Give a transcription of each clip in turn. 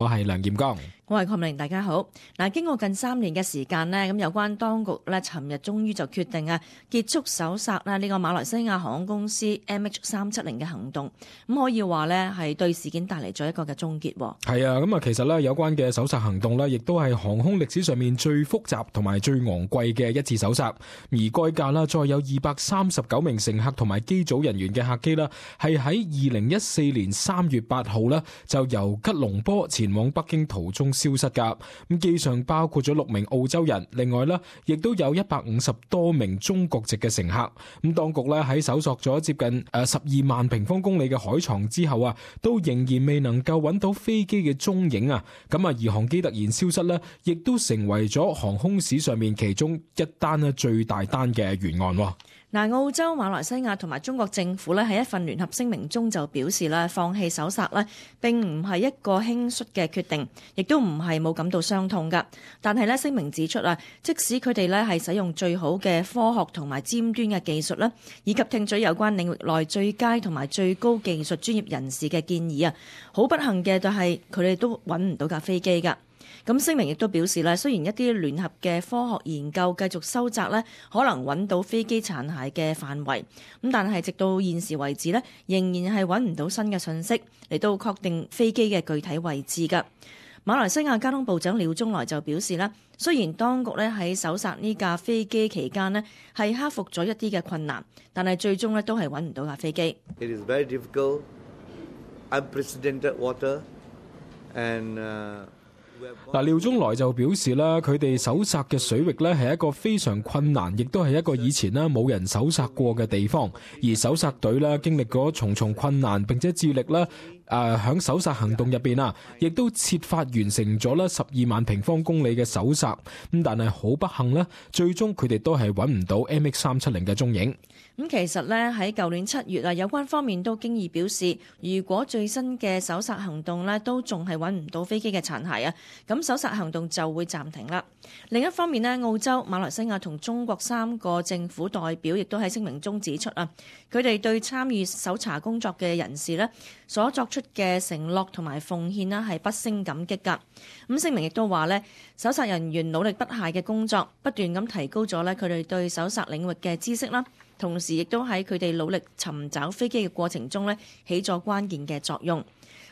我係梁劍剛，我係鄺明，大家好。經過近3年嘅時間呢，咁有關當局呢，尋日終於就決定結束搜索呢個馬來西亞航空公司 MH370 嘅行動。咁可以話呢係對事件帶嚟咗一個嘅終結。係啊，咁其實呢有關嘅搜索行動呢，亦都係航空歷史上面最複雜同埋最昂貴嘅一次搜索。而該架啦，再有239名乘客同埋機組人員嘅客機啦，係喺2014年3月8號呢，就由吉隆坡前往北京途中消失噶。咁機上包括咗6名澳洲人，另外呢亦都有150多名中國籍嘅乘客。咁當局呢喺搜索咗接近12萬平方公里嘅海床之後啊，都仍然未能夠揾到飛機嘅蹤影啊。咁而航機突然消失呢，亦都成為咗航空史上面其中一單最大單嘅懸案。澳洲、馬來西亞同埋中國政府咧喺一份聯合聲明中就表示咧，放棄搜索咧並唔係一個輕率嘅決定，亦都唔係冇感到傷痛噶。但係咧聲明指出即使佢哋咧係使用最好嘅科學同埋尖端嘅技術咧，以及聽取有關領域內最佳同埋最高技術專業人士嘅建議好不幸嘅就係佢哋都揾唔到架飛機噶。咁聲明亦都表示雖然一啲聯合嘅科學研究繼續收窄可能揾到飛機殘骸嘅範圍，咁但係直到現時為止仍然係揾唔到新嘅信息嚟到確定飛機嘅具體位置㗎。馬來西亞交通部長廖宗來就表示雖然當局喺搜索呢架飛機期間係克服咗一啲嘅困難，但係最終都係揾唔到架飛機。It is very difficult, unprecedented water, and廖宗來就表示啦，佢哋搜索嘅水域咧係一個非常困難，亦都係一個以前冇人搜索過嘅地方。而搜索隊咧經歷過重重困難，並且致力咧響搜索行動入邊亦都設法完成咗12萬平方公里嘅搜索。咁但係好不幸咧，最終佢哋都係揾唔到 MH370 嘅蹤影。咁其實喺舊年7月有關方面都經已表示，如果最新嘅搜索行動都仲係揾唔到飛機嘅殘骸咁搜索行動就會暫停啦。另一方面澳洲、馬來西亞同中國3個政府代表亦都喺聲明中指出佢哋對參與搜查工作嘅人士所作出嘅承諾同埋奉獻係不勝感激㗎。咁聲明亦都話搜索人員努力不懈嘅工作，不斷咁提高咗佢哋對搜索領域嘅知識啦，同時亦都喺佢哋努力尋找飛機嘅過程中起咗關鍵嘅作用。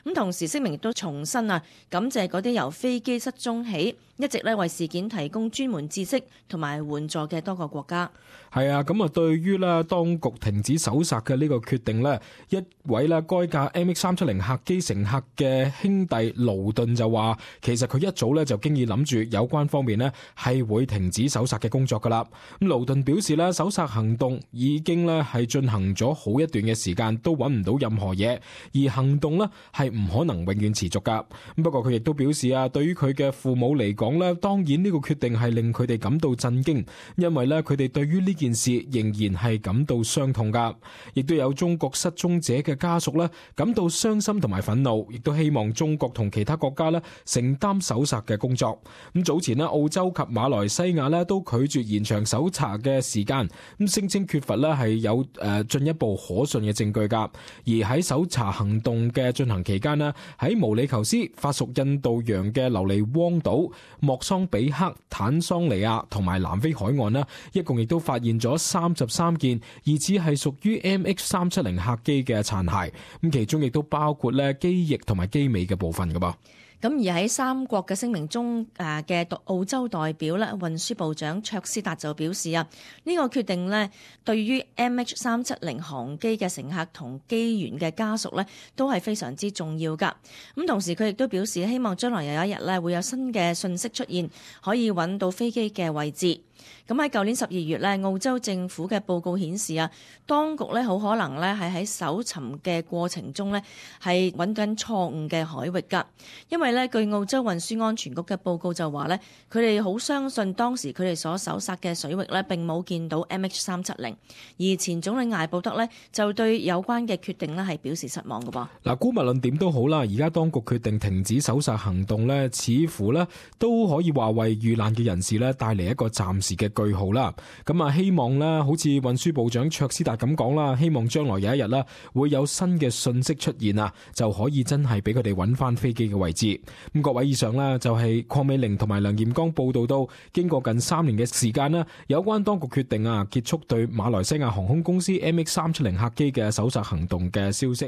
咁同時聲明亦都重申感謝嗰啲由飛機失蹤起一直為事件提供專門知識同埋援助嘅多個國家。係啊，咁對於當局停止搜索嘅呢個決定一位該架 MH370 客機乘客嘅兄弟勞頓就話，其實佢一早就經已諗住有關方面係會停止搜索嘅工作噶啦。咁勞頓表示搜索行動已經係進行咗好一段嘅時間，都揾唔到任何嘢，而行動係唔可能永遠持續噶。不過佢亦都表示對於佢嘅父母嚟講當然呢個決定係令佢哋感到震驚，因為佢哋對於呢件事仍然係感到傷痛噶。亦都有中國失蹤者嘅家屬感到傷心同埋憤怒，亦都希望中國同其他國家承擔搜索嘅工作。咁早前澳洲及馬來西亞都拒絕延長搜查嘅時間，咁聲稱缺乏係有進一步可信嘅證據噶。而喺搜查行動嘅進行期間喺毛里求斯、法屬印度洋嘅琉璃汪島、莫桑比克、坦桑尼亞同埋南非海岸一共亦都發現咗33件疑似係屬於 MH370 客機嘅殘骸，咁其中亦都包括機翼同埋機尾嘅部分噶噃。咁而喺3國嘅聲明中嘅澳洲代表運輸部長卓斯達就表示呢個決定對於 MH370 航機嘅乘客同機員嘅家屬都係非常之重要㗎。咁同時佢亦都表示希望將來有一日會有新嘅信息出現，可以揾到飛機嘅位置。咁喺舊年12月澳洲政府嘅報告顯示當局好可能係喺搜尋嘅過程中係揾緊錯誤嘅海域㗎。因為據澳洲運輸安全局嘅報告就話佢哋好相信當時佢哋所搜索嘅水域並冇見到 MH370，而前總理艾布德就對有關嘅決定係表示失望㗎噃。姑勿論點都好啦，而家當局決定停止搜索行動似乎都可以話為遇難嘅人士帶嚟一個暫時嘅句號啦。咁啊，希望啦，好似運輸部長卓斯達咁講啦，希望將來有一日啦，會有新嘅信息出現啊，就可以真係俾佢哋揾翻飛機嘅位置。咁各位，以上啦就係鄺美玲同埋梁艷剛報道到，經過近3年嘅時間啦，有關當局決定啊結束對馬來西亞航空公司 MH370客機嘅搜索行動嘅消息。